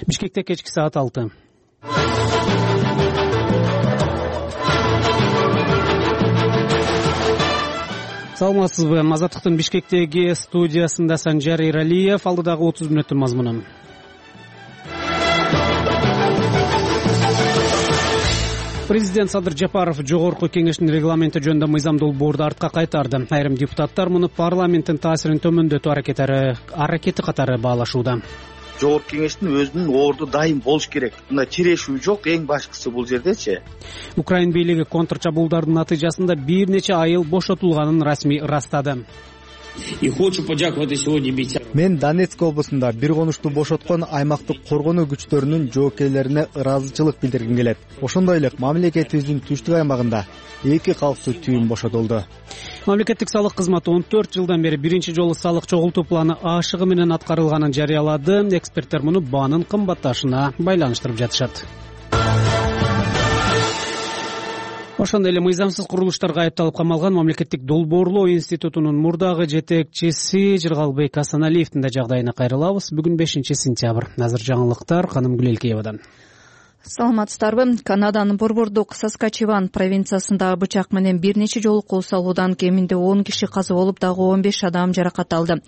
Бишкекте кечки саат 6. Саламатсызбы? Азаттыктын Бишкектеги студиясында Санжар Эралиев, алдыдагы 30 мүнөттүн мазмуну. Президент Садыр Жапаров жогорку кеңештин регламенти жөнүндө мыйзам долбоорду артка кайтарды. Айрым депутаттар муну парламенттин таасирин төмөндөтүү аракети катары баалашууда. Жогорку кеңештин өзүнүн орду дайым болуш керек. Мына чирешүү жок, эң башкысы бул жердечи. Украин бийлиги контрчабуулдардын натыйжасында бир нече айыл бошотулганын расмий ырастады. Мен Донецк облусунда бир конушту бошоткон аймактык коргонуу күчтөрүнүн жоокейлерине ыраазычылык билдиргим келет. Ошондой эле мамлекетибиздин түштүк аймагында 2 калктуу түйүн бошотулду. Мамлекеттик салык кызматы 14 жылдан бери биринчи жолу салык чогултуу планы ашыгы менен аткарылганын жарыялады. Эксперттер муну баанын кымбатташына байланыштырып жатышат. Ошондой эле мыйзамсыз курулуштарга айыпталып камалган Мамлекеттик долбоорлоо институтунун мурдагы жетекчиси Жыргалбек Асаналиевдин да жагдайына кайрылабыз. Бүгүн 5-сентябрь. Азыр жаңылыктар Каным Гүлелкеевадан. Саламатсыздарбы? Канаданын борбордук Саскачеван провинциясында бычак менен бир нече жолу кол салуудан кеминде 10 киши каза болуп, дагы 15 адам жаракат алды.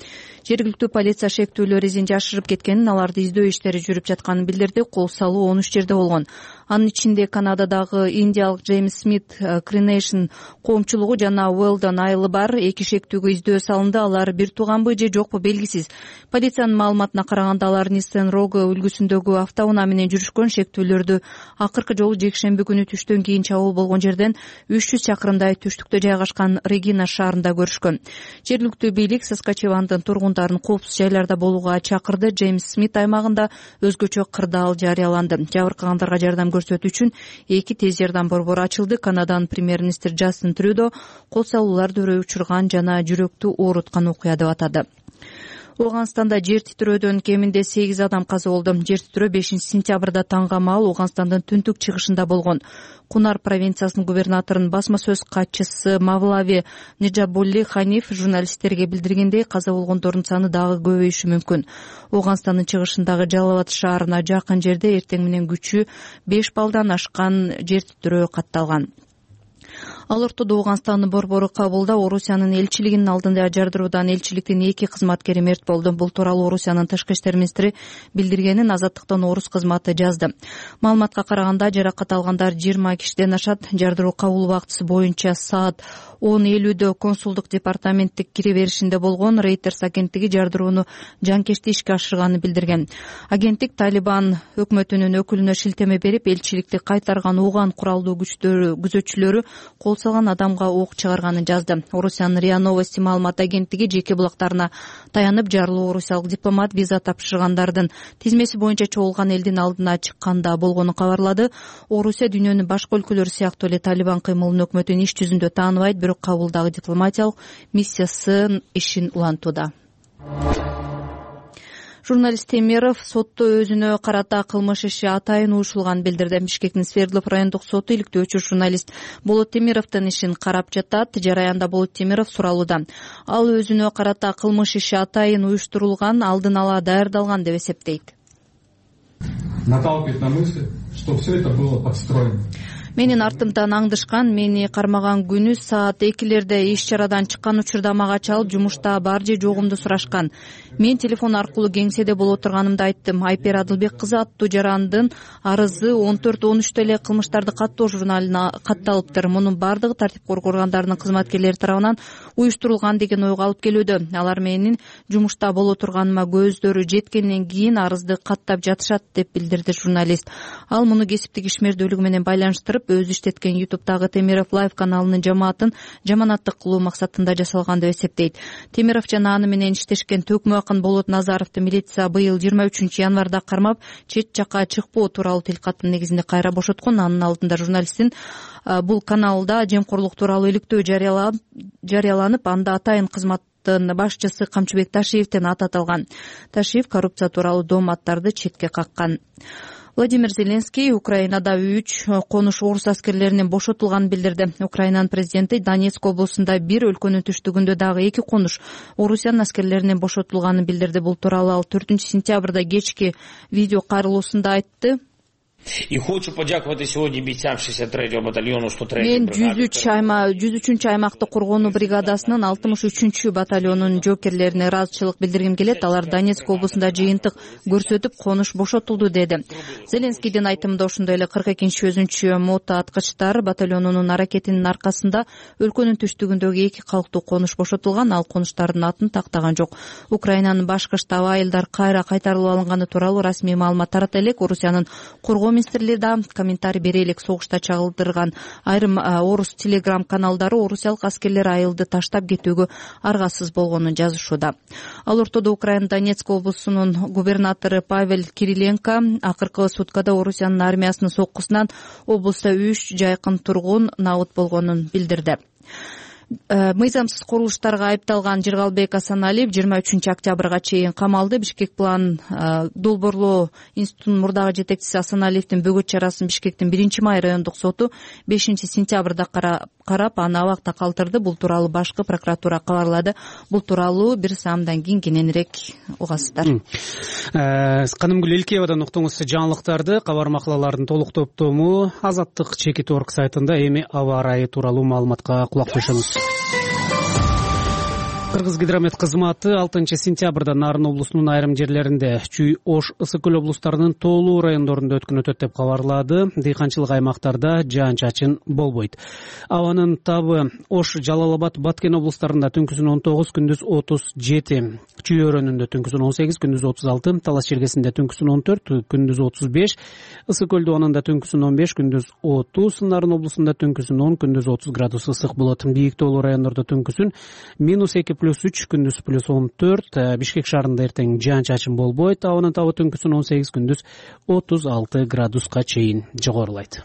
Жергиликтүү полиция шектүүлөр изин жашырып кеткенин, аларды издөө иштери жүрүп жатканын билдирди. Кол салуу 13 жерде болгон. Анын ичинде Канададагы индиялык Джеймс Смит Кринейшн коомчулугу жана Уэлдон айылы бар. 2 шектүүгө издөө салынды. Алар бир тууганбы же жокпу белгисиз. Полициянын маалыматына караганда, алар Ниссен Рого үлгүсүндөгү автоунаа менен жүрүшкөн. Шектүүлөрдү акыркы жолу жекшемби күнү түштөн кийин чабуул болгон жерден 300 чакырымдай түштүктө жайгашкан Регина шаарында көрүшкөн. Жергиликтүү бийлик Саскачевандын тургундарын коопсуз жайларда болууга чакырды. Джеймс Смит аймагында өзгөчө кырдаал жарыяланды. Жабыркагандарга жардам көрсөтүү үчүн 2 тез жардам борбору ачылды. Канаданын премьер-министри Джастин Трюдо кол салууларды өрөй учурган жана жүрөктү ооруткан окуя деп атады. Ооганстанда жер титирөөдөн кеминде 8 адам каза болду. Жер титирөө 5-сентябрда таңга маал Ооганстандын түндүк чыгышында болгон. Кунар провинциясынын губернаторунун басма сөз катчысы Мавлави Ниджабулли Ханиф журналисттерге билдиргендей, каза болгондордун саны дагы көбөйүшү мүмкүн. Ооганстандын чыгышындагы Жалалат шаарына жакын жерде эртең менен күчү 5 баллдан ашкан жер титирөө катталган. Ал ортодо Ооганстандын борбору Кабулда Орусиянын элчилигинин алдында жардыруудан элчиликтин 2 кызматкери мерт болду. Бул тууралуу Орусиянын тышкы иштер министри билдиргенин Азаттыктын орус кызматы жазды. Маалыматка караганда, жаракат алгандар 20 кишиден ашат. Жардыруу кабыл убактысы боюнча саат 10:50 консулдук департаменттик кире беришинде болгон. Reuters агенттиги жардырууну жанкечти ишке ашырганын билдирген. Агенттик Талибан өкмөтүнүн өкүлүнө шилтеме берип, элчиликти кайтарган Ууган куралдуу күзөтчүлөрү кол салган адамга ок чыгарганын жазды. Орусиянын РИА Новости маалымат агенттиги жеке булактарына таянып, жарлуу орусиялык дипломат виза тапшыргандардын тизмеси боюнча чогулган элдин алдына чыкканда болгонун кабарлады. Орусия дүйнөнүн башка өлкөлөрү сыяктуу эле Талибан кыймылын өкмөтүн иш жүзүндө тааныбайт, бирок Кабулдагы дипломатиялык миссиясы ишин улантууда. Журналист Темиров сотто өзүнө карата кылмыш иши атайын уюшулганын билдирди. Бишкектин Свердлов райондук соту иликтөөчү журналист Болот Темировдун ишин карап жатат. Жараянда Болот Темиров суралууда. Ал өзүнө карата кылмыш иши атайын уюштурулган, алдын ала даярдалган деп эсептейт. Наталкивает на мысль, что все это было подстроено. Менин артымдан аңдышкан, мени кармаган күнү саат 2-лерде иш чарадан чыккан учурда мага чалып, жумушта бар же жогумду сурашкан. Мен телефон аркылуу кеңседе боло турганымды айттым. Айпер Адылбек кызы аттуу жарандын арызы 14-13 эле кылмыштарды каттоо журналына катталыптыр. Мунун бардыгы тартип коргоо органдарынын кызматкерлери тарабынан уюштурулган деген ойго алып келүүдө. Алар менин жумушта боло турганыма көздөрү жеткенден кийин арызды каттап жатышат деп билдирди журналист. Ал муну кесиптик ишмердүүлүгү менен байланыштырып, өзү иштеткен YouTube'дагы Темиров Лайв каналынын жаманаттык кылуу максатында жасалган деп эсептейт. Темиров жана аны менен иштешкен төкмө акын Болот Назаровду милиция быйыл 23 январда кармап, чет жакка чыкпоо тууралуу тилкаттын негизинде кайра бошоткон. Анын алдында журналисттин бул каналда жемкорлук тууралуу иликтөө жарыяланып, анда атайын кызматтын башчысы Камчыбек Ташиевдин аты аталган. Ташиев коррупция тууралуу дооматтарды четке каккан. Владимир Зеленский Украинада 3 конуш орус аскерлеринин бошотулганын билдирди. Украинанын президенти Донецк облусунда бир, өлкөнүн түштүгүндө дагы 2 конуш орусиянын аскерлеринин бошотулганын билдирди. Бул тууралуу ал 4-сентябрда кечки видео кайрылуусунда айтты. И хочу подякувати сегодня бійцям 63-го батальону 103-й Мен 103-чү аймактык коргонуу бригадасынын 63-чү батальонунун жоокерлерине ыраазычылык билдиргим келет. Алар Донецк облусунда жыйынтык көрсөтүп, конуш бошотулду деди. Зеленскийдин айтымында ошондой эле 42 өзүнчө мото аткычтар батальонунун аракетинин аркасында өлкөнүн түштүгүндөгү 2 калктуу конуш бошотулган. Ал конуштардын атын тактаган жок. Украинанын башкы штабы айылдар кайра кайтарылып алынганы тууралуу расмий маалымат тарата элек. Орусиянын коргоо министрлиги да комментарий бере элек. Согушта чагылдырган айрым орус телеграм каналдары орусиялык аскерлер айылды таштап кетүүгө аргасыз болгонун жазышууда. Ал ортодо Украина Донецк облусунун губернатору Павел Кириленко акыркы суткада Орусиянын армиясынын соккусунан облуста 3 жайкын тургун набыт болгонун билдирди. Мыйзамсыз курулуштарга айыпталган Жыргалбек Асаналиев 23-октябрга чейин камалды. Бишкек план долбоорлоо институтунун мурдагы жетекчиси Асаналиевдин бөгөт чарасын Бишкектин 1-май райондук соту 5-сентябрда карап, аны абакта калтырды. Бул тууралуу башкы прокуратура кабарлады. Бул тууралуу бир саамдан кийин кененирээк угасыздар. Канымгүл Элкеевадан уктуңуз жаңылыктарды. Кабар макалалардын толук топтому Азаттык Чекит.org сайтында. Эми аба ырайы тууралуу маалыматка кулак коюшуңуз. Кыргызгидромет кызматы 6-сентябрда Нарын облусунун айрым жерлеринде Чүй, Ош, Ысык-Көл облустарынын тоолуу райондорунда өткөн өтөт деп кабарлады. Дыйканчылык аймактарда жаан-чачын болбойт. Абанын табы Ош, Жалал-Абад, Баткен облустарында түнкүсүн 19, күндүз 37, Чүй өрөөнүндө түнкүсүн 18, күндүз 36, Талас Чергесинде түнкүсүн 14, күндүз 35, Ысык-Көлдө анында түнкүсүн 15, күндүз 30, Нарын облусунда түнкүсүн 10, күндүз 30 градус ысык болот. Бийик тоолуу райондордо түнкүсүн -2+3, күндүз +14, Бишкек шаарында эртең жаан-чачын болбойт. Абанын табы түнкүсүн 18, күндүз 36 градуска чейин жогорулайт.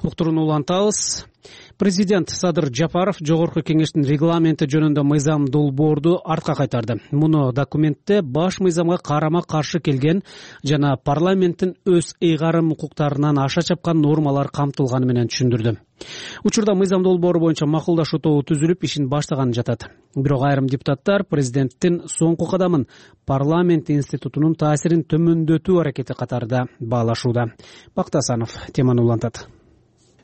Уктурууну улантабыз. Президент Садыр Жапаров Жогорку кеңештин регламенти жөнүндө мыйзам долбоорду артка кайтарды. Муну документте баш мыйзамга карама каршы келген жана парламенттин өз ыйгарым укуктарынан аша чапкан нормалар камтылганы менен түшүндүрдү. Учурда мыйзам долбоору боюнча макулдашуу тобу түзүлүп, ишин баштаганы жатат. Бирок айрым депутаттар президенттин соңку кадамын парламент институтунун таасирин төмөндөтүү аракети катарында баалашууда. Бактасанов теманы улантат.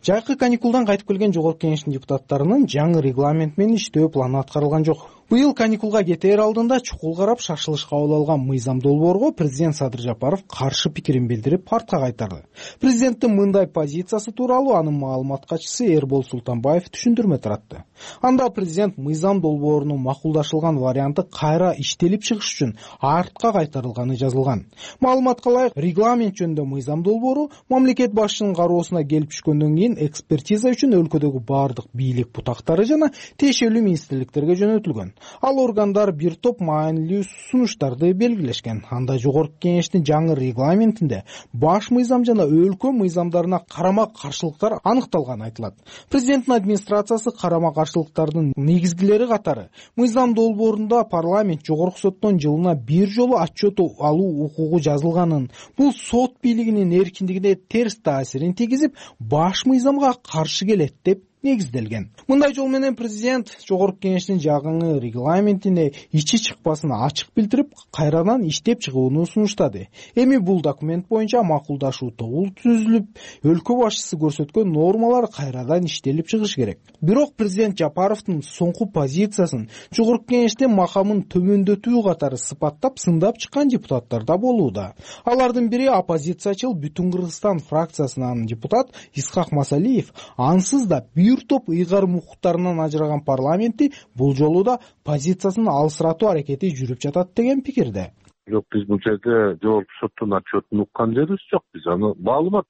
Жайкы каникулдан кайтып келген Жогорку кеңештин депутаттарынын жаңы регламент менен иштөө планы аткарылган жок. Быйыл каникулга кетээр алдында чукул карап шашылыш кабыл алган мыйзам долбоорго президент Садыр Жапаров каршы пикирин билдирип, артка кайтарды. Президенттин мындай позициясы тууралуу анын маалымат катчысы Эрбол Султанбаев түшүндүрмө таратты. Анда президент мыйзам долбоорунун макулдашылган варианты кайра иштелип чыгыш үчүн артка кайтарылганы жазылган. Маалыматка ылайык, регламент жөнүндө мыйзам долбоору мамлекет башчынын кароосуна келип түшкөндөн кийин экспертиза үчүн өлкөдөгү бардык бийлик бутактары жана тиешелүү министрликтерге жөнөтүлгөн. Ал органдар бир топ маанилүү сунуштарды белгилешкен. Анда Жогорку кеңештин жаңы регламентинде баш мыйзам жана өлкө мыйзамдарына карама каршылыктар аныкталганы айтылат. Президенттин администрациясы карама каршылыктардын негизгилери катары мыйзам долбоорунда парламент Жогорку соттон жылына бир жолу отчет алуу укугу жазылганын, бул сот бийлигинин эркиндигине терс таасирин тийгизип, баш мыйзамга каршы келет деп негизделген. Мындай жол менен президент Жогорку кеңештин жаңы регламентине ичи чыкпасын ачык билдирип, кайрадан иштеп чыгууну сунуштады. Эми бул документ боюнча макулдашуу тобу түзүлүп, өлкө башчысы көрсөткөн нормалар кайрадан иштелип чыгыш керек. Бирок президент Жапаровдун соңку позициясын Жогорку кеңештин макамын төмөндөтүү катары сыпаттап, сындап чыккан депутаттар да болууда. Алардын бири оппозициячыл Бүтүн Кыргызстан фракциясынын депутат Исхак Масалиев ансыз да бир топ ыйгарым укуктарынан ажыраган парламентти бул жолу да позициясын алысыратуу аракети жүрүп жатат деген пикирде. Жок, биз бул жерде Жогорку соттун отчетун уккан жерибиз жок. Биз аны маалымат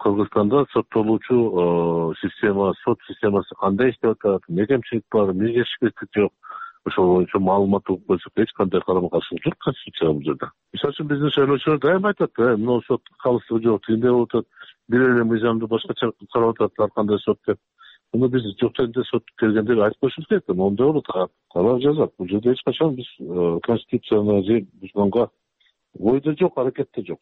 Кыргызстанда соттолуучу система, сот системасы кандай иштеп атат, эмне кемчилик бар, эмне жетишпештик жок. Ошол боюнча маалымат угуп койсок, эч кандай карама каршылык жок конституцияга бул жерде. Мисалы үчүн биздин шайлоочулар дайыма айтат, мына сот калыстыгы жок, тигиндей болуп атат, бир эле мыйзамды башкача карап атат, ар кандай сот деп. Муну биз жок жерде сот келгенде айтып коюшубуз керек. Моундай болот, калап жазат. Бул жерде эч качан биз конституцияны же бузганга ойдо жок, аракетте жок.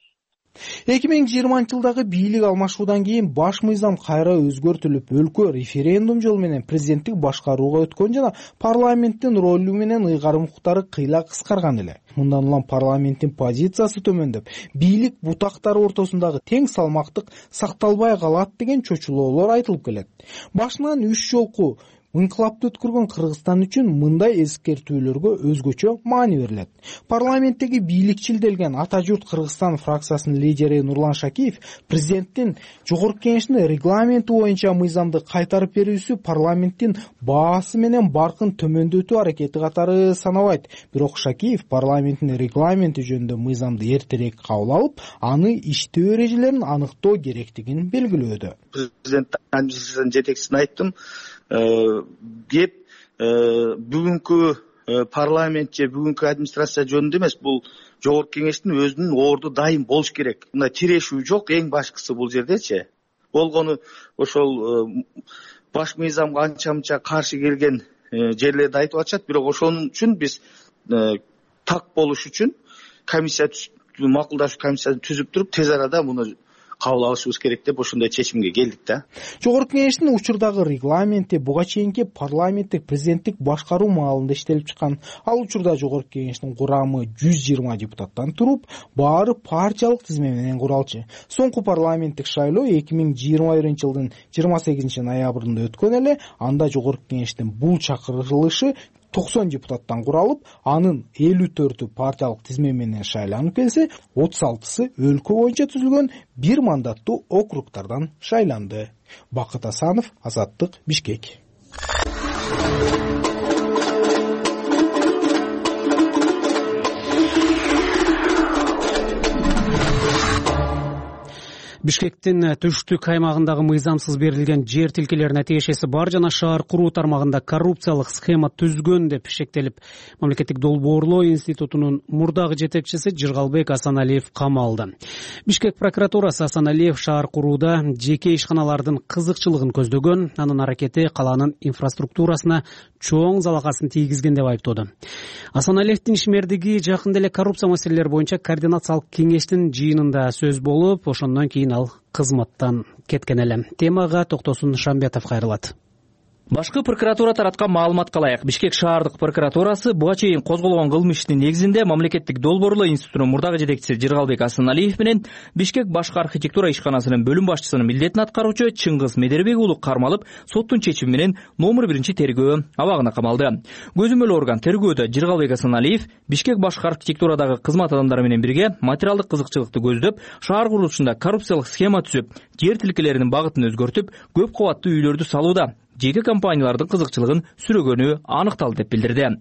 2020-жылдагы бийлик алмашуудан кийин баш мыйзам кайра өзгөртүлүп, өлкө референдум жолу менен президенттик башкарууга өткөн жана парламенттин ролу менен ыйгарым укуктары кыйла кыскарган эле. Мындан улам парламенттин позициясы төмөндөп, бийлик бутактары ортосундагы тең салмактык сакталбай калат деген чочулоолор айтылып келет. Башынан 3 жолку инкылапты өткөргөн Кыргызстан үчүн мындай эскертүүлөргө өзгөчө маани берилет. Парламенттеги бийликчилделген Ата журт Кыргызстан фракциясынын лидери Нурлан Шакиев президенттин жогорку кеңештин регламенти боюнча мыйзамды кайтарып берүүсү парламенттин баасы менен баркын төмөндөтүү аракети катары санабайт. Бирок Шакиев парламенттин регламенти жөнүндө мыйзамды эртерээк кабыл алып, аны иштөө эрежелерин аныктоо керектигин белгилөөдө. Президент администрациянын жетекчисине айттым, кеп бүгүнкү парламент же бүгүнкү администрация жөнүндө эмес, бул жогорку кеңештин өзүнүн орду дайым болуш керек. Мына тирешүү жок, эң башкысы бул жердечи. Болгону ошол баш мыйзамга анча-мынча каршы келген жерлерди айтып атышат, бирок ошонун үчүн биз так болуш үчүн комиссия макулдашуу комиссиясын түзүп туруп, тез арада муну кабыл алышыбыз керек деп ошондой чечимге келдик да. Жогорку кеңештин учурдагы регламенти буга чейинки парламенттик президенттик башкаруу маалында иштелип чыккан. Ал учурда жогорку кеңештин курамы 120 депутаттан туруп, баары партиялык тизме менен куралчу. Соңку парламенттик шайлоо 2021-жылдын 28 ноябрында өткөн эле. Анда жогорку кеңештин бул чакырылышы 90 депутаттан куралып, анын 54-ü партиялык тизме менен шайланып келсе, 36-сы өлкө боюнча түзүлгөн 1 мандаттуу округтардан шайланды. Бакыт Асанов, Азаттык, Бишкек. Бишкектин түштүк аймагындагы мыйзамсыз берилген жер тилкелерине тиешеси бар жана шаар куруу тармагында коррупциялык схема түзгөн деп шектелип, Мамлекеттик долбоорлоо институтунун мурдагы жетекчиси Жыргалбек Асаналиев камалды. Бишкек прокуратурасы Асаналиев шаар курууда жеке ишканалардын кызыкчылыгын көздөгөн, анын аракети калаанын инфраструктурасына чоң залакасын тийгизген деп айыптоодо. Асаналиевдин ишмердиги жакында эле коррупция маселелери боюнча координациялык кеңештин жыйынында сөз болуп, ошондон кийин ал кызматтан кеткен эле. Темага Токтосун Шамбетов кайрылат. Башкы прокуратура тараткан маалыматка ылайык, Бишкек шаардык прокуратурасы буга чейин козголгон кылмыш иштин негизинде Мамлекеттик долбоорлоо институтунун мурдагы жетекчиси Жыргалбек Асаналиев менен Бишкек башкы архитектура ишканасынын бөлүм башчысынын милдетин аткаруучу Чыңгыз Медербек уулу кармалып, соттун чечими менен номер 1 тергөө абагына камалды. Көзөмөл орган тергөөдө Жыргалбек Асаналиев Бишкек башкы архитектурадагы кызмат адамдары менен бирге материалдык кызыкчылыкты көздөп, шаар курулушунда коррупциялык схема түзүп, жер тилкелеринин багытын өзгөртүп, көп кабаттуу үйлөрдү салууда жеке компаниялардын кызыкчылыгын сүрөгөнү аныкталды деп билдирди.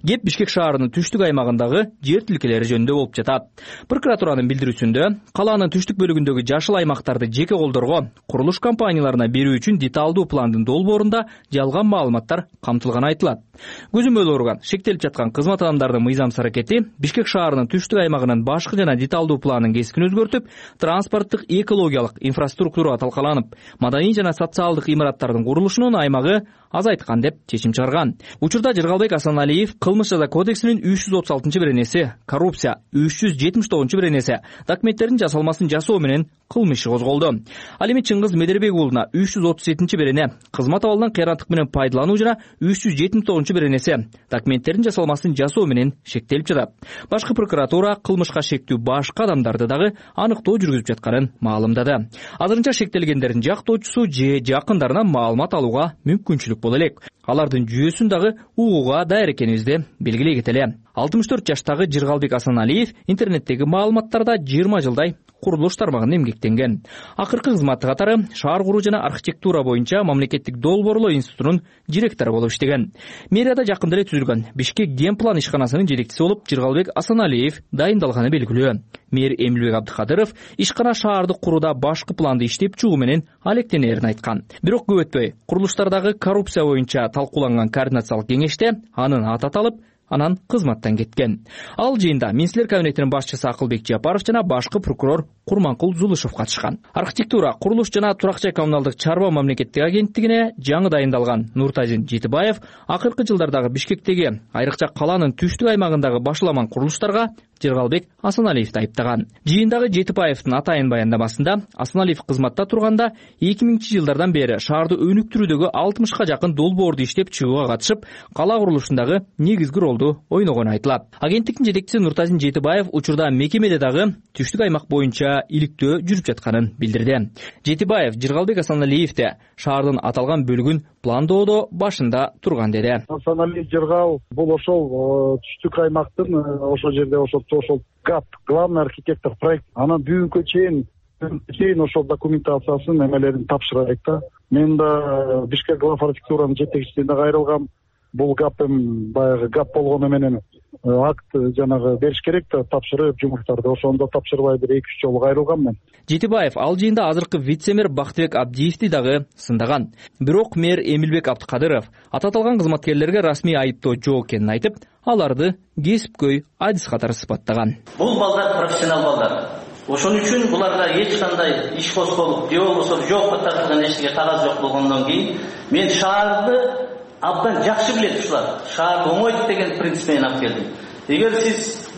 Кеп Бишкек шаарынын түштүк аймагындагы жер тилкелери жөнүндө болуп жатат. Прокуратуранын билдирүүсүндө калаанын түштүк бөлүгүндөгү жашыл аймактарды жеке колдорго, курулуш компанияларына берүү үчүн деталдуу пландын долбоорунда жалган маалыматтар камтылганы айтылат. Көзөмөл орган шектелип жаткан кызмат адамдарынын мыйзамсыз аракети Бишкек шаарынын түштүк аймагынын башкы жана деталдуу планын кескин өзгөртүп, транспорттук экологиялык инфраструктура талкаланып, маданий жана социалдык имараттардын курулушунун аймагы азайткан деп чечим чыгарган. Учурда Жыргалбек Асаналиев кылмыш жаза кодексинин 336-беренеси, коррупция 379-беренеси, документтердин жасалмасын жасоо менен кылмыш иши козголду. Ал эми Чыңгыз Медербек уулуна 337-берене, кызмат абалынан кыйраттык менен пайдалануу жана 379-беренеси, документтердин жасалмасын жасоо менен шектелип жатат. Башкы прокуратура кылмышка шектүү башка адамдарды дагы аныктоо жүргүзүп жатканын маалымдады. Азырынча шектелгендердин жактоочусу же жакындарынан маалымат алууга мүмкүнчүлүк боло элек. Алардын жүйөсүн дагы угууга даяр экенибизди белгилей кетели. 64 жаштагы Жыргалбек Асаналиев интернеттеги маалыматтарда 20 жылдай курулуш тармагында эмгектенген. Акыркы кызматы катары шаар куруу жана архитектура боюнча Мамлекеттик долбоорлоо институтунун директору болуп иштеген. Мэрияда жакында эле түзүлгөн Бишкек генплан ишканасынын жетекчиси болуп Жыргалбек Асаналиев дайындалганы белгилүү. Мэр Эмилбек Абдыкадыров ишкана шаардык курууда башкы планды иштеп чыгуу менен алектенерин айткан. Бирок көп өтпөй курулуштардагы коррупция боюнча талкууланган координациялык кеңеште анын аты аталып, анан кызматтан кеткен. Ал жыйында Министрлер кабинетинин башчысы Акылбек Жапаров жана башкы прокурор Курманкул Зулушев катышкан. Архитектура, курулуш жана турак жай коммуналдык чарба мамлекеттик агенттигине жаңы дайындалган Нуртазин Жетибаев акыркы жылдардагы Бишкектеги, айрыкча каланын түштүк аймагындагы башаламан курулуштарга Жыргалбек Асаналиевди айыптаган. Жыйындагы Жетибаевдин атайын баяндамасында Асаналиев кызматта турганда 2000-жылдардан бери шаарды өнүктүрүүдөгү 60ка жакын долбоорду иштеп чыгууга катышып, кала курулушундагы негизги ролду ойногону айтылат. Агенттиктин жетекчиси Нуртазин Жетибаев учурда мекемеде дагы түштүк аймак боюнча иликтөө жүрүп жатканын билдирди. Жетибаев Жыргалбек Асаналиевди шаардын аталган бөлүгүн пландоодо башында турган деди. Асаналиев Жыргал бул ошол түштүк аймактын ошол жерде ошол ГАП, главный архитектор проект. Анан бүгүнкү чейин ошол документациясын эмелерин тапшырайт да. Мен да Бишкек глав архитектуранын жетекчисине кайрылгам. Бул ГАП баягы ГАП болгону менен акт жанагы бериш керек да, тапшырып жумуштарды. Ошондо тапшырбай бир 2-3 жолу кайрылгам мен. Жетибаев ал жыйында азыркы вице-мэр Бактыбек Абдиевди дагы сындаган. Бирок мэр Эмилбек Абдыкадыров аталган кызматкерлерге расмий айыптоо жок экенин айтып, аларды кесипкөй адис катары сыпаттаган. Бул балдар профессионал балдар. Ошон үчүн буларга эч кандай иш козголуп, же болбосо жоопко тартылган эчтеке кагаз жок болгондон кийин мен шаарды абдан жакшы билет ушулар. Шаар оңойт деген принцип менен алып келдим. Эгер сиз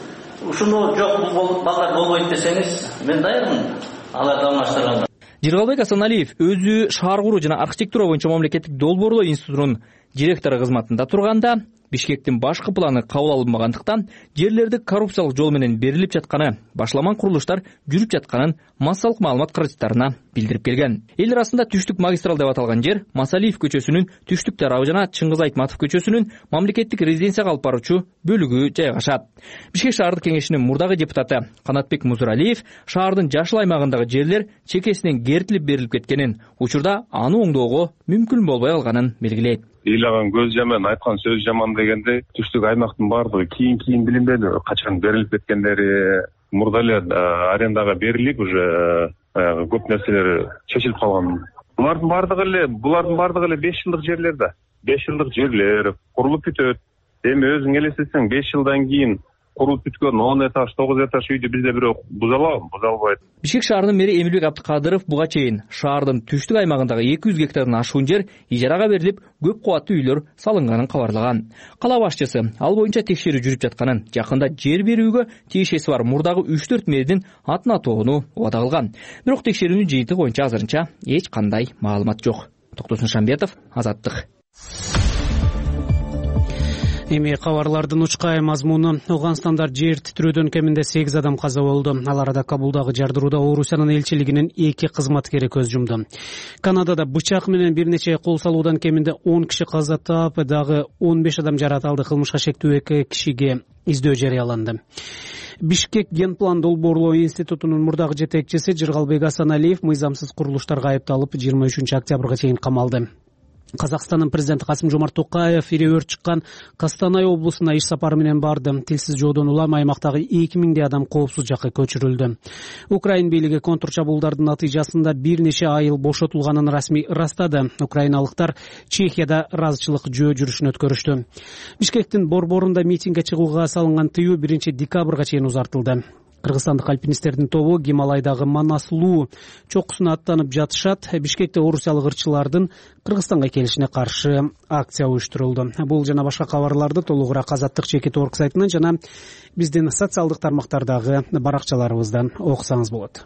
ушуну жок бул балдар болбойт десеңиз, мен даярмын аларды алмаштырганга. Жыргалбек Асаналиев өзү шаар куруу жана архитектура боюнча мамлекеттик долбоорлоо институтунун директору кызматында турганда Бишкектин башкы планы кабыл алынбагандыктан жерлерди коррупциялык жол менен берилип жатканы, башаламан курулуштар жүрүп жатканын массалык маалымат каражаттарына билдирип келген. Эл арасында түштүк магистрал деп аталган жер Масалиев көчөсүнүн түштүк тарабы жана Чыңгыз Айтматов көчөсүнүн мамлекеттик резиденцияга алып баруучу бөлүгү жайгашат. Бишкек шаардык кеңешинин мурдагы депутаты Канатбек Музуралиев шаардын жашыл аймагындагы жерлер чекесинен кертилип берилип кеткенин, учурда аны оңдоого мүмкүн болбой калганын белгилейт. Ыйлаган көз жаман, айткан сөз жаман дегенде түштүк аймактын баардыгы кийин билинбеди, качан берилип кеткендери, мурда эле арендага берилип уже көп нерселер чечилип калган. Булардын баардыгы эле 5 жылдык жерлер да. 5 жылдык жерлер курулуп бүтөт. Эми өзүң элестетсең 5 жылдан кийин курулуп бүткөн 10 этаж, 9 этаж үйдү бизде бирок буза алабы? Буза албайт. Бишкек шаарынын мэри Эмилбек Абдыкадыров буга чейин шаардын түштүк аймагындагы 200 гектардан ашуун жер ижарага берилип, көп кубаттуу үйлөр салынганын кабарлаган. Кала башчысы ал боюнча текшерүү жүрүп жатканын, жакында жер берүүгө тиешеси бар мурдагы 3-4 мэрдин атын атоону убада кылган. Бирок текшерүүнүн жыйынтыгы боюнча азырынча эч кандай маалымат жок. Токтосун Шамбетов, Азаттык. Эми кабарлардын учкай мазмуну: Ауганстанда жер титирөөдөн кеминде 8 адам каза болду. Ал арада Кабулдагы жардырууда Орусиянын элчилигинин 2 кызматкери көз жумду. Канадада бычак менен бир нече кол салуудан кеминде 10 киши каза таап, дагы 15 адам жарат алды. Кылмышка шектүү 2 кишиге издөө жарыяланды. Бишкек генплан долбоорлоо институтунун мурдагы жетекчиси Жыргалбек Асаналиев мыйзамсыз курулуштарга айыпталып 23-октябрга чейин камалды. Казакстандын президенти Касым-Жомарт Токаев ири өрт чыккан Костанай облусуна иш сапары менен барды. Тилсиз жоодон улам аймактагы 2000 адам коопсуз жакка көчүрүлдү. Украин бийлиги контрчабуулдардын натыйжасында бир нече айыл бошотулганын расмий ырастады. Украиналыктар Чехияда ыраазычылык жөө жүрүшүн өткөрүштү. Бишкектин борборунда митингге чыгууга салынган тыюу 1-декабрга чейин узартылды. Кыргызстандык альпинисттердин тобу Гималайдагы Манаслуу чокусуна аттанып жатышат. Бишкекте орусиялык ырчылардын Кыргызстанга келишине каршы акция уюштурулду. Бул жана башка кабарларды толугураак Азаттык.org сайтынан жана биздин социалдык тармактардагы баракчаларыбыздан окусаңыз болот.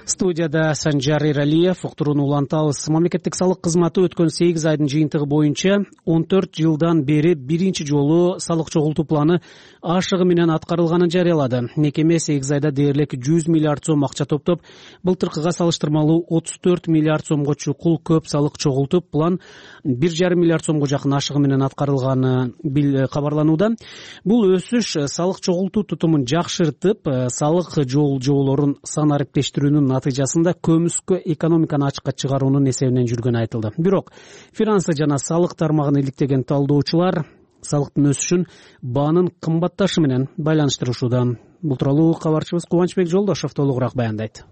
Студияда Санжар Иралиев, уктурууну улантабыз. Мамлекеттик салык кызматы өткөн 8 айдын жыйынтыгы боюнча 14 жылдан бери биринчи жолу салык чогултуу планы ашыгы менен аткарылганын жарыялады. Мекеме 8 айда дээрлик 100 миллиард сом акча топтоп, былтыркыга салыштырмалуу 34 миллиард сомго чукул көп салык чогултуп, план 1,5 миллиард сомго жакын ашыгы менен аткарылганы кабарланууда. Бул өсүш салык чогултуу тутумун жакшыртып, салык жоболорун сан ариптештирүүнүн натыйжасында көмүскө экономиканы ачыкка чыгаруунун эсебинен жүргөнү айтылды. Бирок финансы жана салык тармагын иликтеген талдоочулар салыктын өсүшүн баанын кымбатташы менен байланыштырышууда. Бул тууралуу кабарчыбыз Кубанычбек Жолдошов толугураак баяндайт.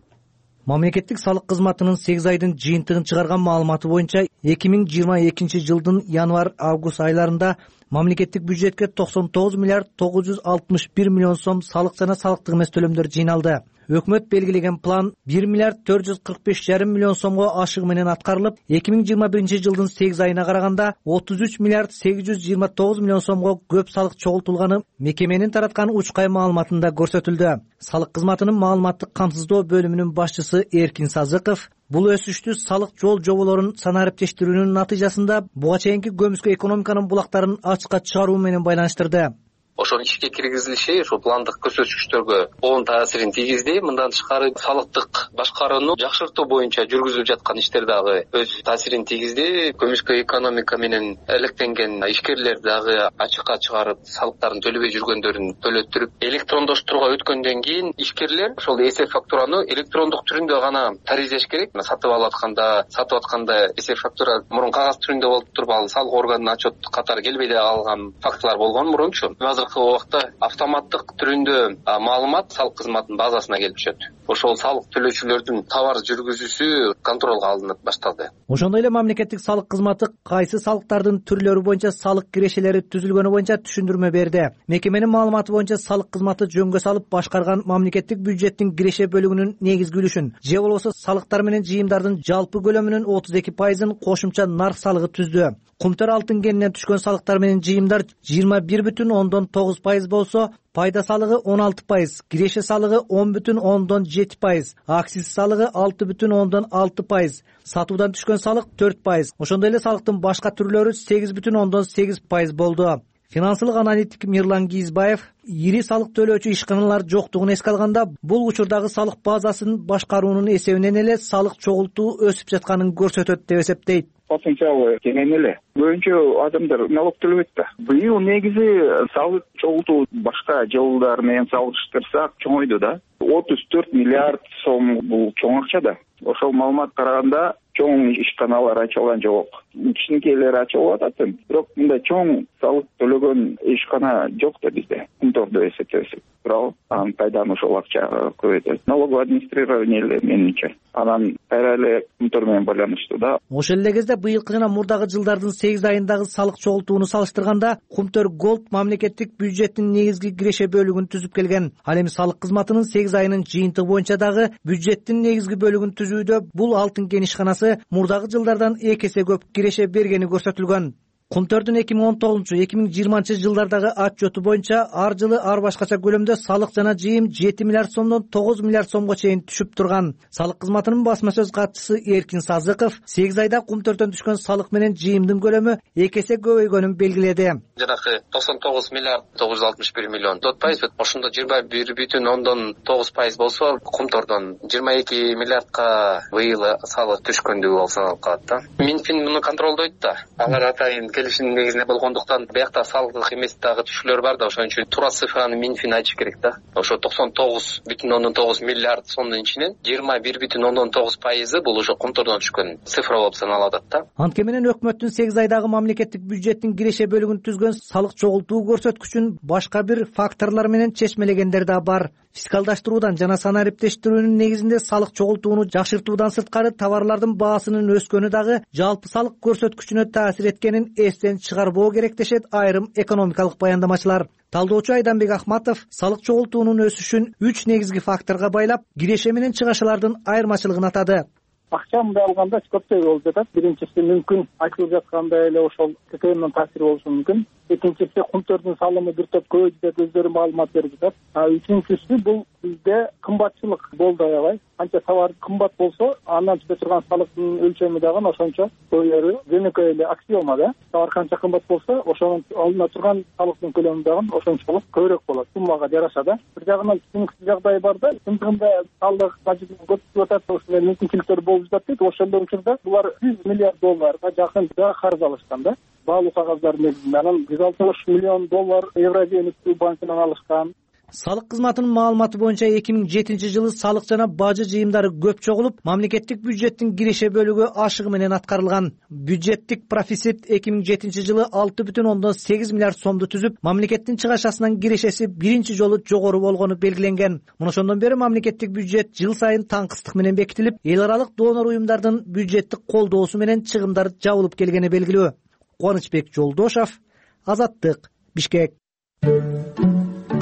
Мамлекеттик салык кызматынын 8 айдын жыйынтыгын чыгарган маалыматы боюнча 2022 жылдын январь-август айларында мамлекеттик бюджетке 99 миллиард 961 миллион сом салык жана салыктык эмес төлөмдөр жыйналды. Өкмөт белгилеген план 1 миллиард 445,5 миллион сомго ашыгы менен аткарылып, 2021 жылдын 8 айына караганда 33 миллиард 829 миллион сомго көп салык чогултулганы мекеменин тараткан учкай маалыматында көрсөтүлдү. Салык кызматынын маалыматтык камсыздоо бөлүмүнүн башчысы Эркин Сазыков бул өсүштү салык жол жоболорун санариптештирүүнүн натыйжасында буга чейинки көмүскө экономиканын булактарын ачыкка чыгаруу менен байланыштырды. Ошонун ишке киргизилиши ошо пландык көрсөткүчтөргө оң таасирин тийгизди. Мындан тышкары салыктык башкарууну жакшыртуу боюнча жүргүзүлүп жаткан иштер дагы өз таасирин тийгизди. Көмүскө экономика менен алектенген ишкерлер дагы ачыкка чыгарып, салыктарын төлөбөй жүргөндөрүн төлөттүрүп, электрондоштурууга өткөндөн кийин ишкерлер ошол эсеп фактураны электрондук түрүндө гана таризеш керек. Сатып атканда эсеп фактура мурун кагаз түрүндө болуп туруп, ал салык органына отчет катары келбей калган фактылар болгон мурунчу. Убакта автоматтык түрүндө маалымат салык кызматынын базасына келип түшөт. Ошол салык төлөөчүлөрдүн товар жүргүзүүсү контролго алынып башталды. Ошондой эле мамлекеттик салык кызматы кайсы салыктардын түрлөрү боюнча салык кирешелери түзүлгөнү боюнча түшүндүрмө берди. Мекеменин маалыматы боюнча салык кызматы жөнгө салып башкарган мамлекеттик бюджеттин киреше бөлүгүнүн негизги үлүшүн, же болбосо салыктар менен жыйымдардын жалпы көлөмүнүн 32%-ын кошумча нарк салыгы түздү. Кумтөр алтын кенинен түшкөн салыктар менен жыйымдар 21,9% болсо, пайда салыгы 16%, киреше салыгы 10,7%, акциз салыгы 6,6%, сатуудан түшкөн салык 4%. Ошондой эле салыктын башка түрлөрү 8,8% болду. Финансылык аналитик Мирлан Кийизбаев ири салык төлөөчү ишканалар жоктугун эске алганда, бул учурдагы салык базасын башкаруунун эсебинен эле салык чогултуу өсүп жатканын көрсөтөт деп эсептейт. Потенциалы кенен эле. Көбүнчө адамдар налог төлөбөйт да. Быйыл негизи салык чогултуу башка жылдар менен салыштырсак чоңойду да. 34 миллиард сом бул чоң акча да. Ошол маалымат караганда чоң ишканалар ачылган жок. Кичинекейлер ачылып атат. Бирок мындай чоң салык төлөгөн ишкана жок да бизде. Кумтордо эсептесек. Бирок анын пайданы ошол акча көбөйтөт. Налоговый администрирование эле менимче. Анан кайра эле кумтор менен байланыштуу да. Ошол эле кезде быйылкы жана мурдагы жылдардын 8 айындагы салык чогултууну салыштырганда, Кумтөр Голд мамлекеттик бюджеттин негизги киреше бөлүгүн түзүп келген. Ал эми салык кызматынын 8 айынын жыйынтыгы боюнча дагы бюджеттин негизги бөлүгүн түзүүдө бул алтын кен ишканасы мурдагы жылдардан 2 эсе көп киреше бергени көрсөтүлгөн. Кумтөрдүн 2019-2020 жылдардагы отчету боюнча ар жылы ар башкача көлөмдө салык жана жыйым 7 миллиард сомдон 9 миллиард сомго чейин түшүп турган. Салык кызматынын басма сөз катчысы Эркин Сазыков 8 айда Кумтөрдөн түшкөн салык менен жыйымдын көлөмү 2 эсе көбөйгөнүн белгиледи. Жанагы 99 миллиард 961 миллион 4%, ошондо 21,9% болсо, Кумтордон 22 миллиардка быйыл салык түшкөндүгү болсо саналып калат да. Минфин муну контролдойт да. Алар атайын келишимдин негизинде болгондуктан биякта салык эмес дагы түшүүлөр бар да, ошон үчүн туура цифраны Минфин айтыш керек да. Ошо 99,9 миллиард сомдун ичинен 21,9% бул ошо Кумтордон түшкөн цифра болуп саналып атат да. Анткени менен өкмөттүн 8 айдагы мамлекеттик бюджеттин киреше бөлүгүн түзгөн салык чогултуу көрсөткүчүн башка бир факторлор менен чечмелегендер да бар. Фискалдаштыруудан жана санариптештирүүнүн негизинде салык чогултууну жакшыртуудан сырткары товарлардын баасынын өскөнү дагы жалпы салык көрсөткүчүнө таасир эткенин эстен чыгарбоо керек дешет айрым экономикалык баяндамачылар. Талдоочу Айданбек Ахматов салык чогултуунун өсүшүн 3 негизги факторго байлап, киреше менен чыгашалардын айырмачылыгын атады. Акча мындай алганда көптөй болуп жатат. Биринчиси мүмкүн айтылып жаткандай эле ошол ККМдин таасири болушу мүмкүн. Экинчиси Кумтөрдүн салымы бир топ көбөйдү деп өздөрү маалымат берип жатат. Үчүнчүсү бул бизде кымбатчылык болду аябай. Канча товар кымбат болсо, андан түшө турган салыктын өлчөмү дагы ошончо көбөйөрү. Жөнөкөй эле аксиома да. Товар канча кымбат болсо, ошонун алына турган салыктын көлөмү дагы ошончолук көбүрөөк болот. Суммага жараша да. Бир жагынан түшүнүксүз жагдай бар да. Чындыгында салык бажытын көтөрүп атат, ошол мүмкүнчүлүктөр болуп жатат дейт. Ошондор учурда булар 100 миллиард долларга жакын карыз алышкан да. Баалуу кагаздардын негизинде анан 160 миллион доллар Евразия өнүктүү банкынан алышкан. салык кызматынын маалыматы боюнча 2007 жылы салык жана бажы жыйымдары көп чогулуп, мамлекеттик бюджеттин киреше бөлүгү ашыгы менен аткарылган. Бюджеттик профицит 2007 жылы 6,8 миллиард сомду түзүп, мамлекеттин чыгашасынан кирешеси биринчи жолу жогору болгону белгиленген. Мына ошондон бери мамлекеттик бюджет жыл сайын таңкыстык менен бекитилип, эл аралык донор уюмдардын бюджеттик колдоосу менен чыгымдар жабылып келгени белгилүү. Кубанычбек Жолдошов, Азаттык, Бишкек.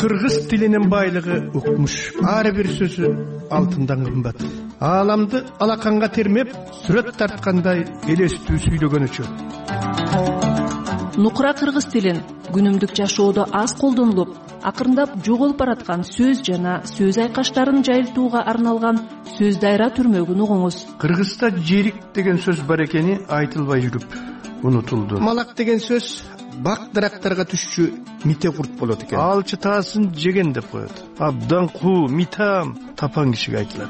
Кыргыз тилинин байлыгы укмуш, ар бир сөзү алтындан кымбат. Ааламды алаканга термеп, сүрөт тарткандай элестүү сүйлөгөнүчү. Нукура кыргыз тилин күнүмдүк жашоодо аз колдонулуп, акырындап жоголуп бараткан сөз жана сөз айкаштарын жайылтууга арналган сөз дайра түрмөгүн угуңуз. Кыргызда жерик деген сөз бар экени айтылбай жүрүп унутулду. Малак деген сөз бак дарактарга түшчү мите курт болот экен. Ал чытаасын жеген деп коет. Абдан куу, митам тапан кишиге айтылат.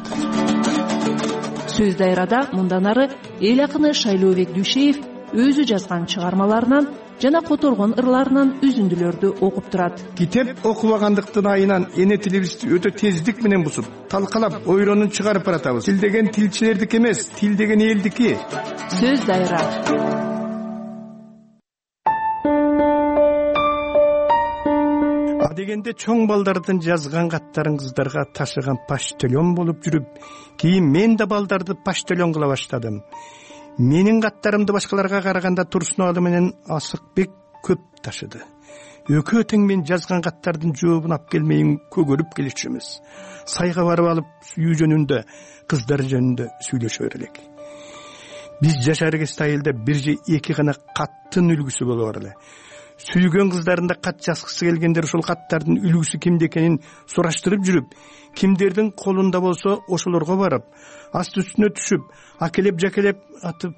Сөз дайрада мындан ары эл акыны Шайлообек Дүйшеев өзү жазган чыгармаларынан жана которгон ырларынан үзүндүлөрдү окуп турат. Китеп окубагандыктын айынан эне тилибизди өтө тездик менен бусуп, талкалап, ойронун чыгарып баратабыз. Тил деген тилчилердики эмес, тил деген элдики. Сөз дайра. Дегенде чоң балдардын жазган каттарын кыздарга ташыган почтальон болуп жүрүп, кийин мен да балдарды почтальон кыла баштадым. Менин каттарымды башкаларга караганда Турсун алы менен Асыкбек көп ташыды. Экөө тең мен жазган каттардын жообун алып келмейин көгөрүп келишчүбүз. Сайга барып алып сүйүү жөнүндө, кыздар жөнүндө сүйлөшө берелик. Биз жашар кезде айылда бир же эки гана каттын үлгүсү болор эле. Сүйгөн кыздарында кат жазгысы келгендер ошол каттардын үлгүсү кимде экенин сураштырып жүрүп, кимдердин колунда болсо ошолорго барып, асты үстүнө түшүп, акелеп жакелеп атып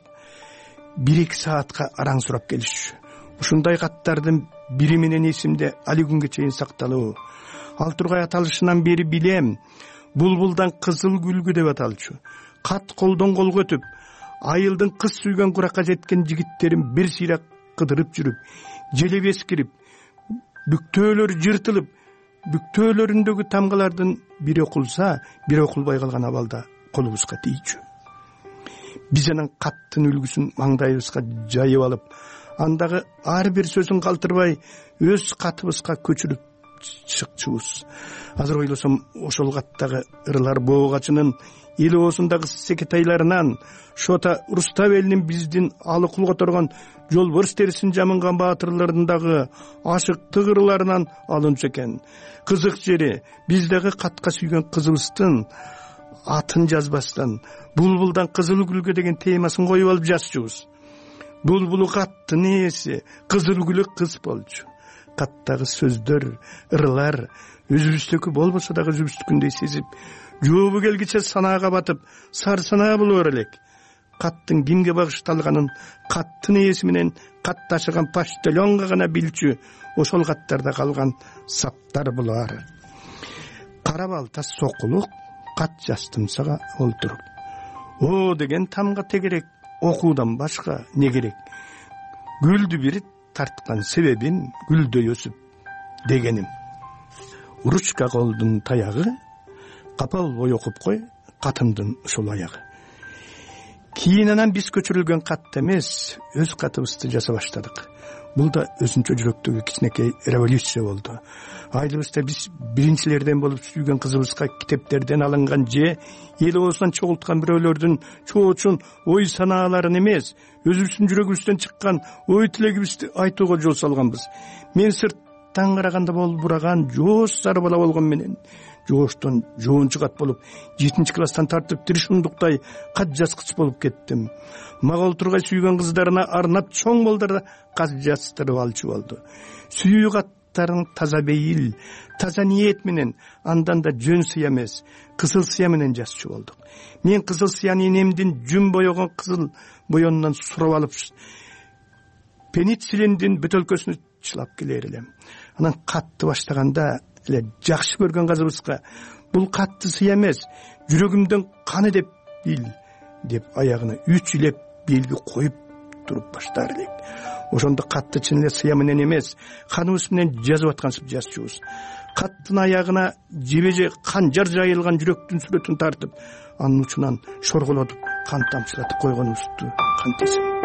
1-2 саатка араң сурап келишчү. Ушундай каттардын бири менен эсимде али күнгө чейин сакталуу. Ал тургай аталышынан бери билем. Булбулдан кызыл гүлгү деп аталчу. Кат колдон колго өтүп, айылдын кыз сүйгөн куракка жеткен жигиттерин бир сыйра кыдырып жүрүп, желеп эскирип, бүктөөлөр жыртылып, бүктөөлөрүндөгү тамгалардын бири окулса, бири окулбай калган абалда колубузга тийчү. Биз анан каттын үлгүсүн маңдайыбызга жайып алып, андагы ар бир сөзүн калтырбай өз катыбызга көчүрүп чыкчубуз. Азыр ойлосом, ошол каттагы ырлар боогачынын эл оозундагы секетайларынан, Шота Руставелдин биздин алы кул которгон жолборс терисин жамынган баатырларындагы ашыктык ырларынан алынчу экен. Кызык жери, биздеги катка сүйгөн кызыбыздын атын жазбастан булбулдан кызыл гүлгө деген темасын коюп алып жазчубуз. Булбулу каттын ээси, кызыл гүлү кыз болчу. Каттагы сөздөр, ырлар өзүбүздүкү болбосо дагы өзүбүздүкүндөй сезип, жообу келгиче санаага батып, сарсанаа болор элек. Каттын кимге багышталганын каттын ээси менен кат ташыган почтальонго гана билчү, ошол каттарда калган саптар булар. Кара балта сокулук кат жастымсага олтуруп. О деген тамга тегерек, окуудан башка не керек? Гүлдү бир тарткан себебин гүлдөй өсүп дегеним. Ручка колдун таягы, капал бой окуп кой, катымдын ушул аягы. Кийин анан биз көчүрүлгөн кат эмес, өз катыбызды жаза баштадык. Бул да өзүнчө жүрөктөгү кичинекей революция болду. Айылыбызда биз биринчилерден болуп сүйгөн кызыбызга китептерден алынган же эл оозунан чогулткан бирөөлөрдүн чоочун ой санааларын эмес, өзүбүздүн жүрөгүбүздөн чыккан ой тилегибизди айтууга жол салганбыз. Мен сырттан караганда болбураган жооз сары бала болгон менен жооштон жоончу кат болуп, 7-класстан тартып тиришундуктай кат жазгыч болуп кеттим. Мага олтургай сүйгөн кыздарына арнап чоң балдарда кат жаздырып алчу болду. Сүйүү каттарын таза бейил, таза ниет менен, андан да жөн сыя эмес, кызыл сыя менен жазчу болдук. Мен кызыл сыяны энемдин жүн боёгон кызыл боёнунан сурап алып, пенициллиндин бөтөлкөсүнө чылап келер элем. Анан катты баштаганда эле жакшы көргөн кызыбызга бул катты сыя эмес, жүрөгүмдөн каны деп бил деп аягына 3 илеп белги коюп туруп баштар элек. ошондо катты чын эле сыя менен эмес, каныбыз менен жазып аткансып жазчубуз. Каттын аягына жебеже канжар жайылган жүрөктүн сүрөтүн тартып, анын учунан шорголотуп, кан тамчылатып койгонубузду кантесин.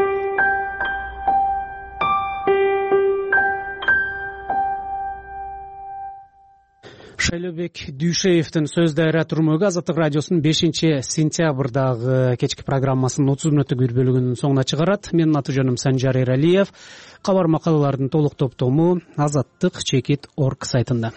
Шайлообек Дүйшеевдин сөз дайра түрмөгү Азаттык радиосунун 5-сентябрдагы кечки программасынын 30 мүнөттүк бир бөлүгүнүн соңуна чыгарат. Менин аты жөнүм Санжар Эралиев. Кабар макалалардын толук топтому Азаттык.org сайтында.